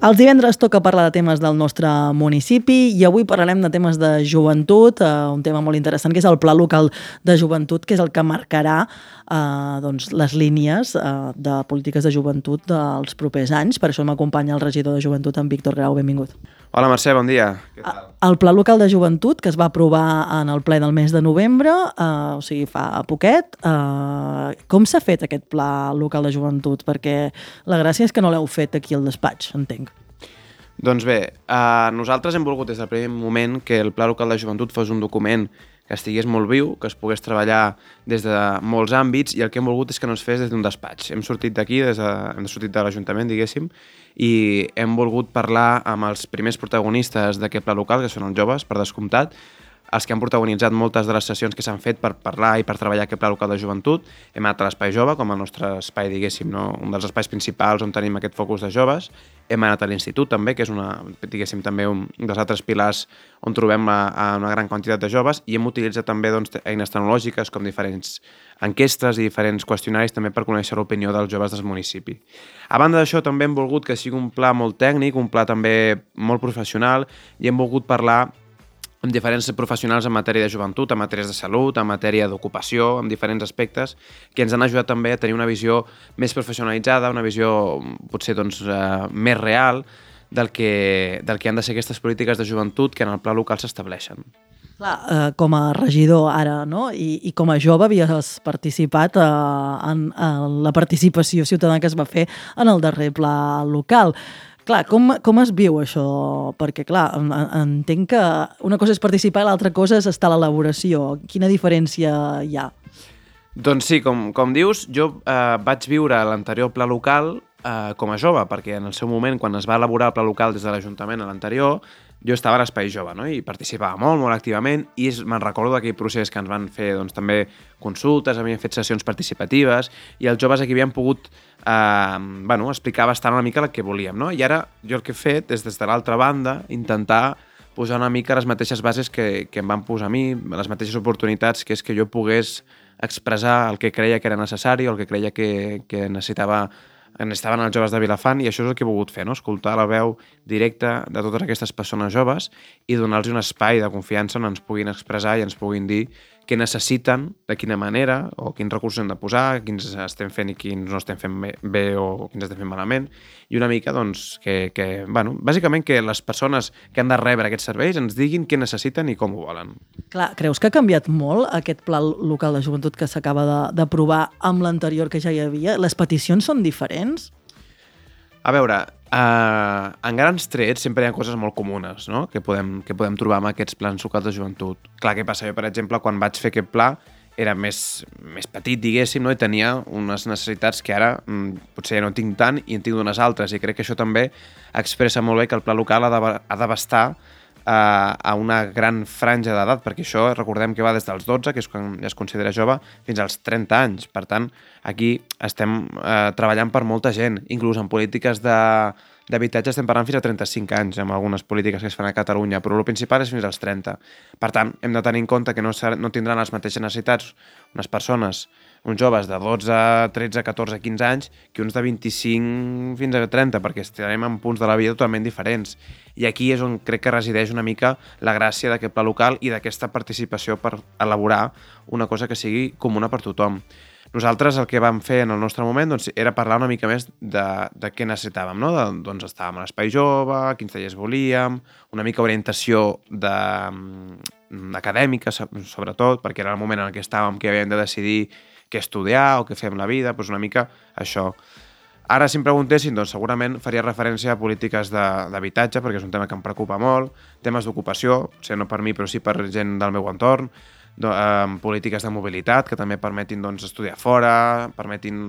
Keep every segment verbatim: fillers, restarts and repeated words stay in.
Els divendres toca parlar de temes del nostre municipi i avui parlarem de temes de joventut, eh, un tema molt interessant que és el Pla Local de Joventut, que és el que marcarà eh, doncs, les línies eh, de polítiques de joventut dels propers anys. Per això m'acompanya el regidor de Joventut, en Víctor Grau. Benvingut. Hola Mercè, bon dia. Què tal? El Pla Local de Joventut, que es va aprovar en el ple del mes de novembre, eh, o sigui, fa poquet. Eh, com s'ha fet aquest Pla Local de Joventut? Perquè la gràcia és que no l'heu fet aquí al despatx, entenc. Doncs bé, eh, nosaltres hem volgut des del primer moment que el Pla Local de Joventut fos un document que estigués molt viu, que es pogués treballar des de molts àmbits, i el que hem volgut és que no es fes des d'un despatx. Hem sortit d'aquí, des de, hem sortit de l'Ajuntament, diguéssim, i hem volgut parlar amb els primers protagonistes d'aquest pla local, que són els joves, per descomptat, els que han protagonitzat moltes de les sessions que s'han fet per parlar i per treballar aquest pla local de joventut. Hem anat a l'Espai Jove, com el nostre espai, diguéssim, no? Un dels espais principals on tenim aquest focus de joves. Hem anat a l'Institut, també, que és una, diguéssim, també un dels altres pilars on trobem a, a una gran quantitat de joves, i hem utilitzat també doncs, eines tecnològiques com diferents enquestes i diferents qüestionaris també per conèixer l'opinió dels joves del municipi. A banda d'això, també hem volgut que sigui un pla molt tècnic, un pla també molt professional, i hem volgut parlar amb diferents professionals en matèria de joventut, en matèries de salut, en matèria d'ocupació, en diferents aspectes, que ens han ajudat també a tenir una visió més professionalitzada, una visió potser doncs, eh, més real del que, del que han de ser aquestes polítiques de joventut que en el pla local s'estableixen. Clar, eh, com a regidor ara, no? I, i com a jove havies participat eh, en, en la participació ciutadana que es va fer en el darrer pla local. Clar, com, com es viu això? Perquè, clar, entenc que una cosa és participar i l'altra cosa és estar a l'elaboració. Quina diferència hi ha? Doncs sí, com, com dius, jo eh, vaig viure l'anterior pla local eh, com a jove, perquè en el seu moment, quan es va elaborar el pla local des de l'Ajuntament a l'anterior, jo estava a l'Espai Jove, no? I participava molt, molt activament, i me'n recordo d'aquell procés que ens van fer doncs, també consultes, havíem fet sessions participatives, i els joves aquí havien pogut eh, bueno, explicar bastant una mica el que volíem, no? I ara jo el que he fet és, des de l'altra banda, intentar posar una mica les mateixes bases que, que em van posar a mi, les mateixes oportunitats, que és que jo pogués expressar el que creia que era necessari o el que creia que, que necessitava necessitaven els joves de Vilafant, i això és el que he volgut fer, no? Escoltar la veu directa de totes aquestes persones joves i donar-los un espai de confiança on ens puguin expressar i ens puguin dir què necessiten, de quina manera, o quins recursos hem de posar, quins estem fent i quins no estem fent bé, bé o quins estem fent malament, i una mica, doncs, que, que, bueno, bàsicament que les persones que han de rebre aquests serveis ens diguin què necessiten i com ho volen. Clar, creus que ha canviat molt aquest pla local de joventut que s'acaba d'aprovar amb l'anterior que ja hi havia? Les peticions són diferents? A veure, eh, en grans trets sempre hi ha coses molt comunes, no? que, podem, que podem trobar amb aquests plans locals de joventut. Clar, què passa? Jo, per exemple, quan vaig fer aquest pla, era més, més petit, diguéssim, no? I tenia unes necessitats que ara mm, potser ja no tinc tant i en tinc d'unes altres, i crec que això també expressa molt bé que el pla local ha d'abastar a una gran franja d'edat, perquè això recordem que va des dels dotze, que és quan ja es considera jove, fins als trenta anys. Per tant, aquí estem eh, treballant per molta gent, inclús en polítiques de d'habitatge estem parlant fins a trenta-cinc anys, amb algunes polítiques que es fan a Catalunya, però el principal és fins als trenta. Per tant, hem de tenir en compte que no, no tindran les mateixes necessitats unes persones, uns joves de dotze, tretze, catorze, quinze anys, que uns de vint-i-cinc fins a trenta, perquè estarem en punts de la vida totalment diferents. I aquí és on crec que resideix una mica la gràcia d'aquest pla local i d'aquesta participació per elaborar una cosa que sigui comuna per tothom. Nosaltres el que vam fer en el nostre moment doncs, era parlar una mica més de, de què necessitàvem, no? De, doncs estàvem a l'Espai Jove, quins tallers volíem, una mica orientació de, acadèmica, sobretot, perquè era el moment en què estàvem que havíem de decidir què estudiar o què fer amb la vida, doncs una mica això. Ara, si em preguntessin, doncs segurament faria referència a polítiques d'habitatge, perquè és un tema que em preocupa molt, temes d'ocupació, potser no per mi, però sí per gent del meu entorn, Do, eh, polítiques de mobilitat que també permetin doncs, estudiar fora, permetin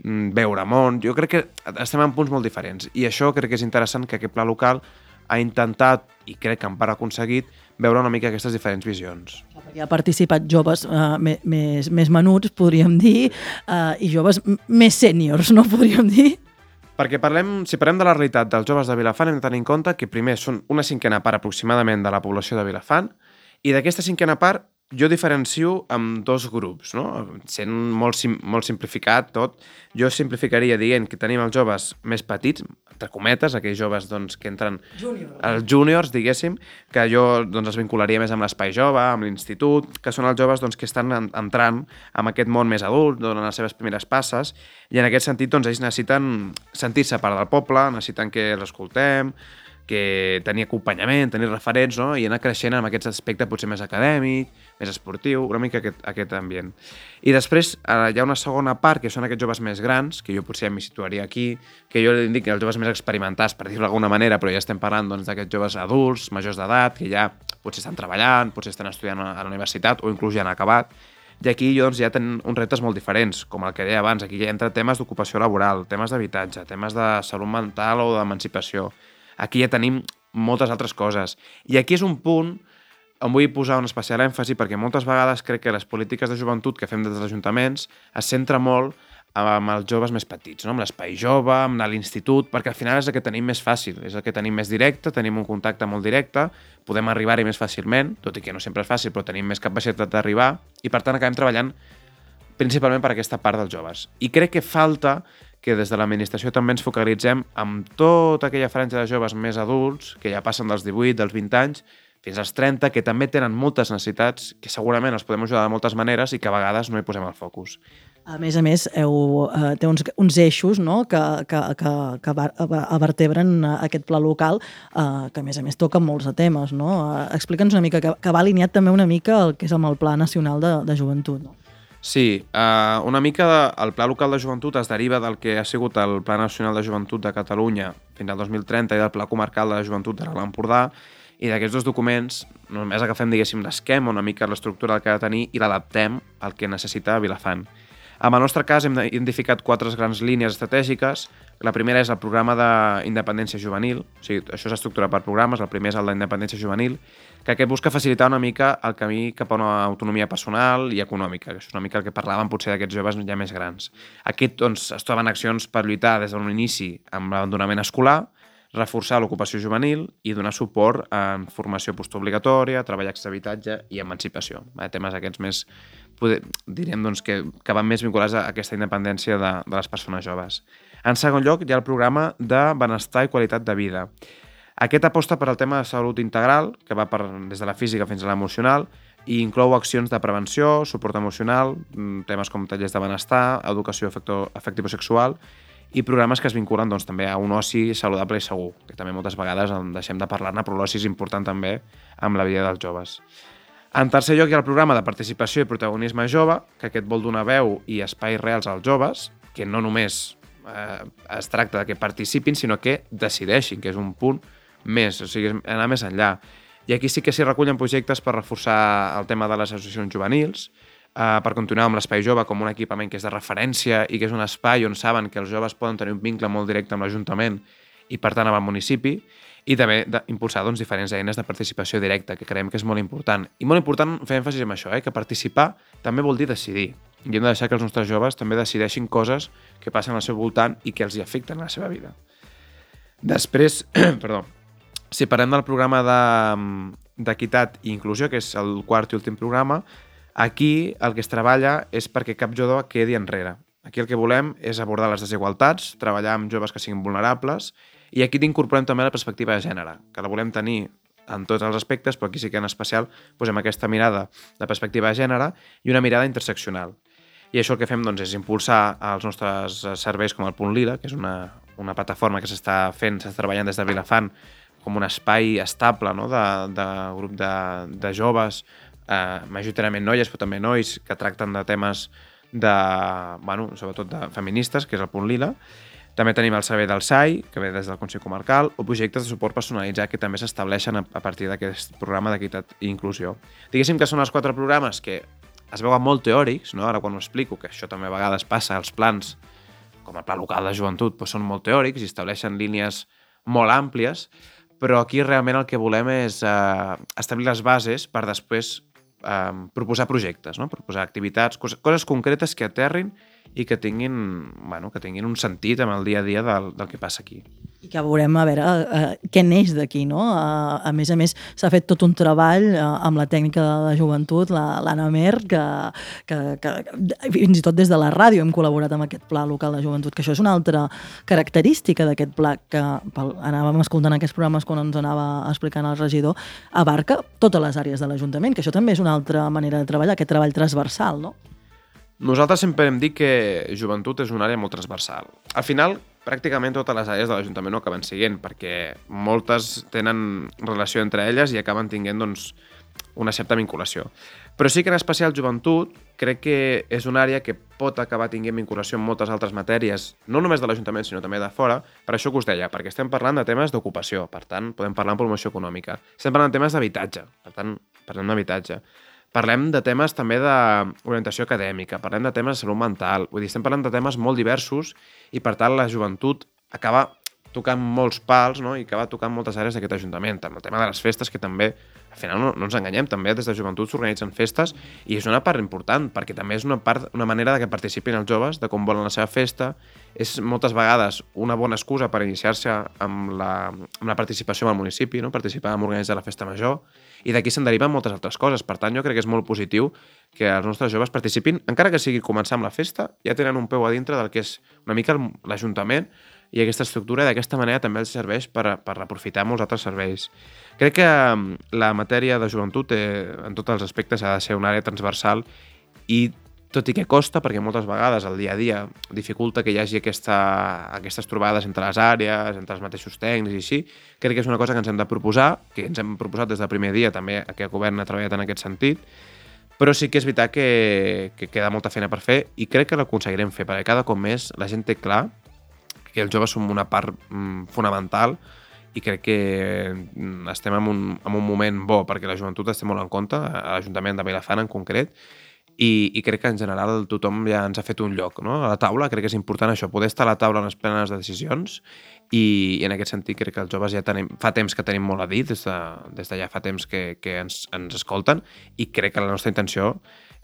mm, veure món. Jo crec que estem en punts molt diferents, i això crec que és interessant, que aquest pla local ha intentat, i crec que en part ha aconseguit, veure una mica aquestes diferents visions. Perquè ha participat joves eh, més, més menuts, podríem dir, eh, i joves més sèniors, no podríem dir? Perquè parlem, si parlem de la realitat dels joves de Vilafant, hem de tenir en compte que primer són una cinquena part aproximadament de la població de Vilafant, i d'aquesta cinquena part jo diferencio amb dos grups, no? Sent molt, sim, molt simplificat tot, jo simplificaria dient que tenim els joves més petits, entre cometes, aquells joves doncs, que entren... Júnior. Els júniors, diguéssim, que jo doncs, els vincularia més amb l'espai jove, amb l'institut, que són els joves doncs, que estan entrant en aquest món més adult, donen les seves primeres passes, i en aquest sentit doncs, ells necessiten sentir-se part del poble, necessiten que els escoltem, que tenir acompanyament, tenir referents, no? I anar creixent amb aquest aspecte potser més acadèmic, més esportiu, una mica aquest, aquest ambient. I després eh, hi ha una segona part, que són aquests joves més grans, que jo potser m'hi situaria aquí, que jo li dic els joves més experimentats, per dir-ho d'alguna manera, però ja estem parlant doncs, d'aquests joves adults, majors d'edat, que ja potser estan treballant, potser estan estudiant a la universitat o inclús ja han acabat. I aquí doncs, ja tenen uns reptes molt diferents, com el que deia abans. Aquí ja entra temes d'ocupació laboral, temes d'habitatge, temes de salut mental o d'emancipació. Aquí ja tenim moltes altres coses. I aquí és un punt on vull posar un especial èmfasi perquè moltes vegades crec que les polítiques de joventut que fem des dels ajuntaments es centra molt amb els joves més petits, no? Amb l'espai jove, amb l'institut, perquè al final és el que tenim més fàcil, és el que tenim més directe, tenim un contacte molt directe, podem arribar-hi més fàcilment, tot i que no sempre és fàcil, però tenim més capacitat d'arribar i per tant acabem treballant principalment per aquesta part dels joves. I crec que falta que des de l'administració també ens focalitzem amb tota aquella franja de joves més adults, que ja passen dels divuit, dels vint anys, fins als trenta, que també tenen moltes necessitats, que segurament els podem ajudar de moltes maneres i que a vegades no hi posem el focus. A més a més, heu, eh, té uns, uns eixos, no?, que, que, que, que vertebren aquest pla local, eh, que a més a més toquen molts de temes, no? Eh, Explica'ns una mica, que, que va alineat també una mica el que és amb el Pla Nacional de, de Joventut, no? Sí, uh, una mica de, el Pla Local de Joventut es deriva del que ha sigut el Pla Nacional de Joventut de Catalunya fins al dos mil trenta i del Pla Comarcal de Joventut de l'Alt Empordà, i d'aquests dos documents només agafem, diguéssim, l'esquema, una mica l'estructura que ha de tenir i l'adaptem al que necessita Vilafant. En el nostre cas hem identificat quatre grans línies estratègiques. La primera és el programa d'independència juvenil, o sigui, això s'estructura per programes, el primer és el d'independència juvenil, que aquest busca facilitar una mica el camí cap a una autonomia personal i econòmica, que és una mica el que parlàvem potser d'aquests joves ja més grans. Aquí doncs, es troben accions per lluitar des d'un inici amb l'abandonament escolar, reforçar l'ocupació juvenil i donar suport en formació postobligatòria, treball d'habitatge i emancipació. Temes aquests més, poder, diríem, doncs, que, que van més vinculats a aquesta independència de, de les persones joves. En segon lloc, hi ha el programa de benestar i qualitat de vida. Aquest aposta per al tema de salut integral, que va per, des de la física fins a l'emocional, i inclou accions de prevenció, suport emocional, temes com tallers de benestar, educació afectivo-sexual, i programes que es vinculen doncs, també a un oci saludable i segur, que també moltes vegades en deixem de parlar-ne, però l'oci és important també amb la vida dels joves. En tercer lloc hi ha el programa de participació i protagonisme jove, que aquest vol donar veu i espais reals als joves, que no només eh, es tracta de que participin, sinó que decideixin, que és un punt més, o sigui, anar més enllà. I aquí sí que s'hi recullen projectes per reforçar el tema de les associacions juvenils, Uh, per continuar amb l'Espai Jove com un equipament que és de referència i que és un espai on saben que els joves poden tenir un vincle molt directe amb l'Ajuntament i per tant amb el municipi, i també impulsar doncs, diferents eines de participació directa, que creiem que és molt important. I molt important fer èmfasi en això, eh? Que participar també vol dir decidir. I hem de deixar que els nostres joves també decideixin coses que passen al seu voltant i que els hi afecten a la seva vida. Després, perdó, si parlem del programa d'equitat i inclusió, que és el quart i últim programa, aquí el que es treballa és perquè cap jove quedi enrere. Aquí el que volem és abordar les desigualtats, treballar amb joves que siguin vulnerables, i aquí incorporem també la perspectiva de gènere, que la volem tenir en tots els aspectes, però aquí sí que en especial posem aquesta mirada de perspectiva de gènere i una mirada interseccional. I això el que fem doncs, és impulsar els nostres serveis com el Punt Lila, que és una, una plataforma que s'està fent, s'està treballant des de Vilafant com un espai estable, no? de, de grup de, de joves, Uh, majoritàriament noies, però també nois que tracten de temes de, bueno, sobretot de feministes, que és el Punt Lila. També tenim el servei del S A I, que ve des del Consell Comarcal, o projectes de suport personalitzat que també s'estableixen a, a partir d'aquest programa d'equitat i inclusió. Diguéssim que són els quatre programes que es veuen molt teòrics, no? Ara quan ho explico, que això també a vegades passa, els plans, com el Pla Local de Joventut, doncs són molt teòrics i estableixen línies molt àmplies, però aquí realment el que volem és uh, establir les bases per després Um, proposar projectes, no? Proposar activitats, coses, coses concretes que aterrin i que tinguin, bueno, que tinguin un sentit amb el dia a dia del, del que passa aquí. I que veurem a veure uh, què neix d'aquí, no? Uh, a més a més, s'ha fet tot un treball uh, amb la tècnica de la joventut, l'Anna Mer, que, que, que fins i tot des de la ràdio hem col·laborat amb aquest pla local de joventut, que això és una altra característica d'aquest pla, que pel, anàvem escoltant aquests programes quan ens anava explicant el regidor, abarca totes les àrees de l'Ajuntament, que això també és una altra manera de treballar, aquest treball transversal, no? Nosaltres sempre hem dit que joventut és una àrea molt transversal. Al final, pràcticament totes les àrees de l'Ajuntament ho acaben siguent, perquè moltes tenen relació entre elles i acaben tinguent doncs, una certa vinculació. Però sí que en especial joventut crec que és una àrea que pot acabar tinguent vinculació amb moltes altres matèries, no només de l'Ajuntament, sinó també de fora, per això que us deia, perquè estem parlant de temes d'ocupació, per tant, podem parlar de promoció econòmica. Estem parlant de temes d'habitatge, per tant, parlem d'habitatge. Parlem de temes també d'orientació acadèmica, parlem de temes de salut mental, vull dir, estem parlant de temes molt diversos i, per tant, la joventut acaba tocant molts pals, no? I acaba tocant moltes àrees d'aquest Ajuntament. El tema de les festes, que també, al final no, no ens enganyem, també des de joventut s'organitzen festes i és una part important, perquè també és una, part, una manera de que participin els joves, de com volen la seva festa. És moltes vegades una bona excusa per iniciar-se amb la, amb la participació en el municipi, no? Participar en organitzar la festa major, i d'aquí se'n deriven moltes altres coses. Per tant, jo crec que és molt positiu que els nostres joves participin, encara que sigui començar amb la festa, ja tenen un peu a dintre del que és una mica l'Ajuntament i aquesta estructura, i d'aquesta manera també els serveix per, per aprofitar molts altres serveis. Crec que la matèria de joventut, eh, en tots els aspectes, ha de ser una àrea transversal i, tot i que costa, perquè moltes vegades el dia a dia dificulta que hi hagi aquesta, aquestes trobades entre les àrees, entre els mateixos tècnics i així, crec que és una cosa que ens hem de proposar, que ens hem proposat des del primer dia, també aquest govern ha treballat en aquest sentit, però sí que és veritat que, que queda molta feina per fer i crec que l'aconseguirem fer, perquè cada cop més la gent té clar que els joves són una part mm, fonamental i crec que estem en un, en un moment bo, perquè la joventut es té molt en compte, a l'Ajuntament de Vilafant en concret, I, i crec que en general tothom ja ens ha fet un lloc, no? A la taula. Crec que és important això, poder estar a la taula en les plenes de decisions i, i en aquest sentit crec que els joves ja tenim, fa temps que tenim molt a dir, des de, des de ja fa temps que, que ens, ens escolten, i crec que la nostra intenció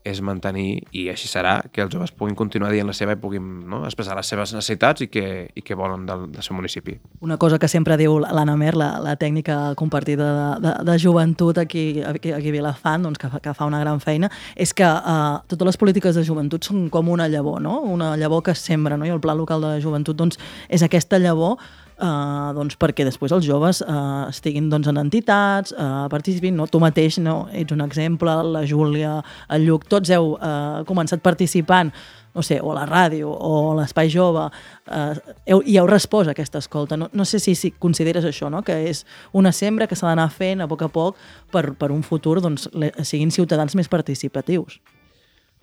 és mantenir, i així serà, que els joves puguin continuar dient la seva i puguin, no, expressar les seves necessitats i que, i que volen del, del seu municipi. Una cosa que sempre diu l'Anna Mer, la, la tècnica compartida de, de, de joventut aquí, aquí, aquí a Vilafant, doncs, que, fa, que fa una gran feina, és que uh, totes les polítiques de joventut són com una llavor, no? Una llavor que es sembra, no? I el Pla Local de la Joventut doncs, és aquesta llavor Uh, doncs perquè després els joves uh, estiguin doncs, en entitats, uh, participin, no? Tu mateix no? Ets un exemple, la Júlia, el Lluc, tots heu uh, començat participant, no sé, o a la ràdio o a l'Espai Jove, uh, heu, i heu respost a aquesta escolta. No, no sé si, si consideres això, no? Que és una sembra que s'ha d'anar fent a poc a poc per, per un futur doncs, le, siguin ciutadans més participatius.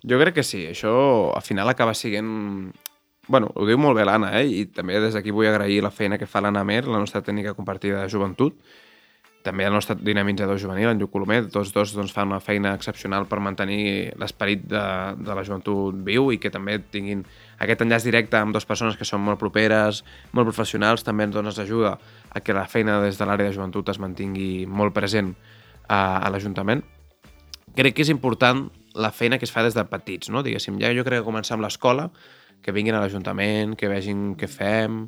Jo crec que sí, això al final acaba sent... Bueno, ho diu molt bé l'Anna, eh? I també des d'aquí vull agrair la feina que fa l'Anna Mer, la nostra tècnica compartida de joventut, també el nostre dinamitzador juvenil, en Lluc Colomer, tots dos doncs, fan una feina excepcional per mantenir l'esperit de, de la joventut viu i que també tinguin aquest enllaç directe amb dues persones que són molt properes, molt professionals, també ens doncs, ajuda a que la feina des de l'àrea de joventut es mantingui molt present a, a l'Ajuntament. Crec que és important la feina que es fa des de petits, no? Diguéssim, ja jo crec que començar amb l'escola, que vinguin a l'Ajuntament, que vegin què fem...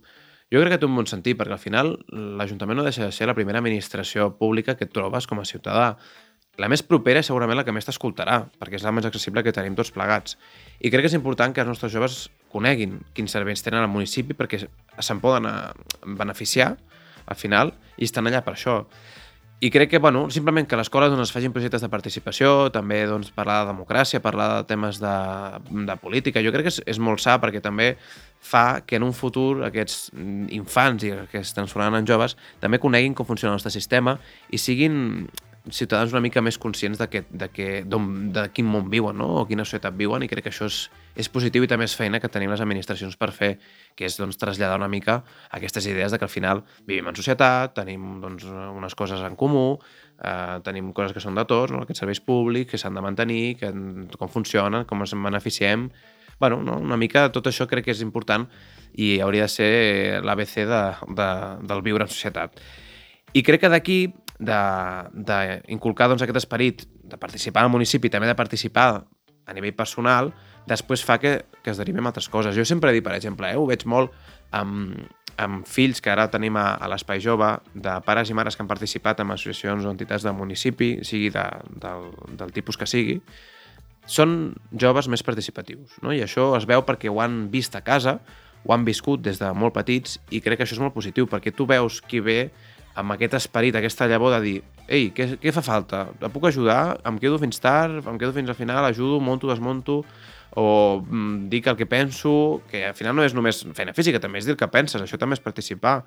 Jo crec que té un bon sentit, perquè al final l'Ajuntament no deixa de ser la primera administració pública que et trobes com a ciutadà. La més propera és segurament la que més t'escoltarà, perquè és la més accessible que tenim tots plegats. I crec que és important que els nostres joves coneguin quins serveis tenen al municipi perquè se'n poden beneficiar, al final, i estan allà per això. I crec que, bueno, simplement que a l'escola doncs, es facin projectes de participació, també doncs, parlar de democràcia, parlar de temes de, de política. Jo crec que és, és molt sa perquè també fa que en un futur aquests infants i que es transformaran en joves també coneguin com funciona el nostre sistema i siguin ciutadans una mica més conscients de, que, de, que, de quin món viuen, no? O quina societat viuen, i crec que això és, és positiu i també és feina que tenim les administracions per fer, que és doncs, traslladar una mica aquestes idees de que al final vivim en societat, tenim doncs, unes coses en comú, eh, tenim coses que són de tots, no? Aquests serveis públics que s'han de mantenir, que, com funcionen, com ens en beneficiem. Bueno, no? Una mica tot això crec que és important i hauria de ser l'A B C de, de, del viure en societat. I crec que d'aquí d'inculcar doncs, aquest esperit de participar al municipi, també de participar a nivell personal, després fa que, que es derivem altres coses. Jo sempre he dit, per exemple, eh, ho veig molt amb, amb fills que ara tenim a, a l'Espai Jove, de pares i mares que han participat en associacions o entitats del municipi, sigui de, del, del tipus que sigui, són joves més participatius, no? I això es veu perquè ho han vist a casa, ho han viscut des de molt petits, i crec que això és molt positiu, perquè tu veus qui ve amb aquest esperit, aquesta llavor de dir ei, què, què fa falta? Et puc ajudar? Em quedo fins tard? Em quedo fins al final? Ajudo? Monto? Desmonto? O mm, dic el que penso, que al final no és només feina física, també és dir el que penses, això també és participar,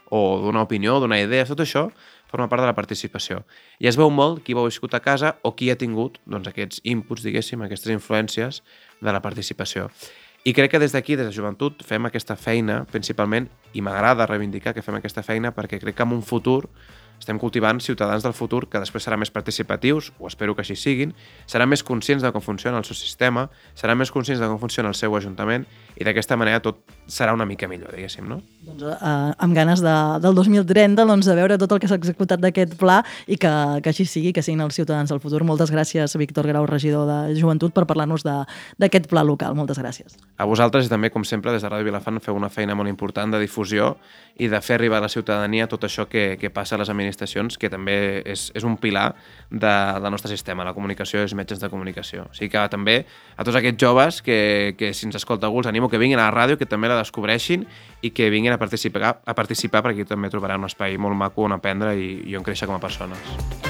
o donar opinió, donar idees, tot això forma part de la participació. I es veu molt qui ho ha viscut a casa o qui ha tingut doncs, aquests inputs, diguéssim, aquestes influències de la participació. I crec que des d'aquí, des de joventut, fem aquesta feina principalment, i m'agrada reivindicar que fem aquesta feina perquè crec que en un futur estem cultivant ciutadans del futur que després seran més participatius, o espero que així siguin, seran més conscients de com funciona el seu sistema, seran més conscients de com funciona el seu ajuntament, i d'aquesta manera tot serà una mica millor, diguéssim, no? Doncs eh, amb ganes de, del dos mil trenta doncs, de veure tot el que s'ha executat d'aquest pla i que, que així sigui, que siguin els ciutadans del futur. Moltes gràcies, Víctor Grau, regidor de Joventut, per parlar-nos d'aquest pla local. Moltes gràcies. A vosaltres i també, com sempre, des de Ràdio Vilafant feu una feina molt important de difusió i de fer arribar a la ciutadania tot això que, que passa a les administracions, que també és, és un pilar de, del nostre sistema, la comunicació i els metges de comunicació. O sigui que també a tots aquests joves que, que si ens escolta algú els animo que vinguin a la ràdio, que també la descobreixin i que vinguin a participar, a participar perquè aquí també trobaran un espai molt maco on aprendre i, i on créixer com a persones.